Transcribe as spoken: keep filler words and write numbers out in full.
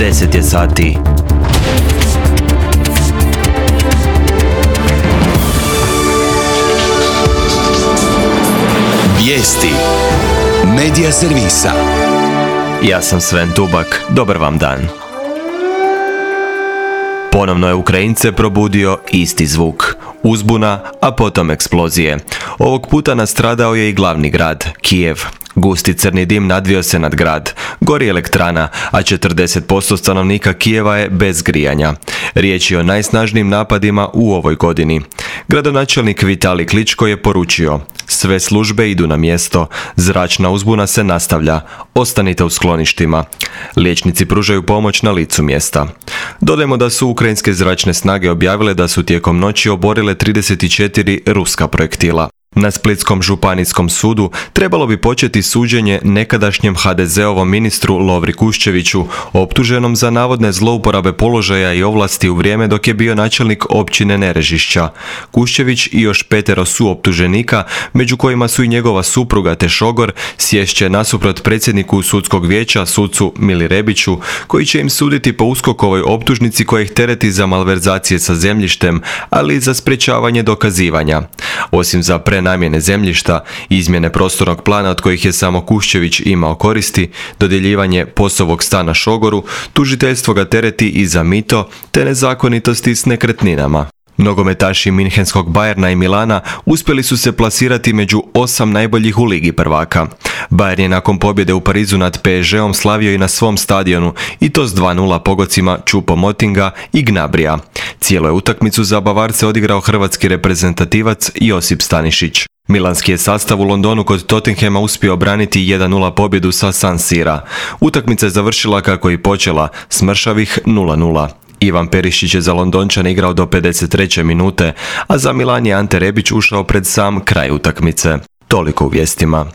deset je sati. Vijesti Medija servisa. Ja sam Sven Tubak, dobar vam dan. Ponovno je Ukrajince probudio isti zvuk. Uzbuna, a potom eksplozije. Ovog puta nastradao je i glavni grad, Kijev. Gusti crni dim nadvio se nad grad. Gori elektrana, a četrdeset posto stanovnika Kijeva je bez grijanja. Riječ je o najsnažnijim napadima u ovoj godini. Gradonačelnik Vitali Kličko je poručio: sve službe idu na mjesto, zračna uzbuna se nastavlja, ostanite u skloništima. Liječnici pružaju pomoć na licu mjesta. Dodajmo da su ukrajinske zračne snage objavile da su tijekom noći oborile trideset četiri ruska projektila. Na Splitskom županijskom sudu trebalo bi početi suđenje nekadašnjem ha de zeovom ministru Lovri Kuščeviću, optuženom za navodne zlouporabe položaja i ovlasti u vrijeme dok je bio načelnik općine Nerežišća. Kuščević i još petero suoptuženika, među kojima su i njegova supruga te šogor, sješće nasuprot predsjedniku sudskog vijeća, sucu Mili Rebiću, koji će im suditi po uskokovoj optužnici koja ih tereti za malverzacije sa zemljištem, ali i za sprječavanje dokazivanja. Osim za prenamjene zemljišta, izmjene prostornog plana od kojih je samo Kuščević imao koristi, dodjeljivanje posovog stana šogoru, tužiteljstvo ga tereti i za mito te nezakonitosti s nekretninama. Nogometaši Minhenskog Bayerna i Milana uspjeli su se plasirati među osam najboljih u Ligi prvaka. Bayern je nakon pobjede u Parizu nad pe es žeom slavio i na svom stadionu, i to s dva nula pogodcima Choupo-Motinga i Gnabrija. Cijelu je utakmicu za Bavarce odigrao hrvatski reprezentativac Josip Stanišić. Milanski je sastav u Londonu kod Tottenhama uspio obraniti jedan nula pobjedu sa San Sira. Utakmica je završila kako i počela, s mršavih nula nula. Ivan Perišić je za Londončane igrao do pedeset treće minute, a za Milan je Ante Rebić ušao pred sam kraj utakmice. Toliko u vijestima.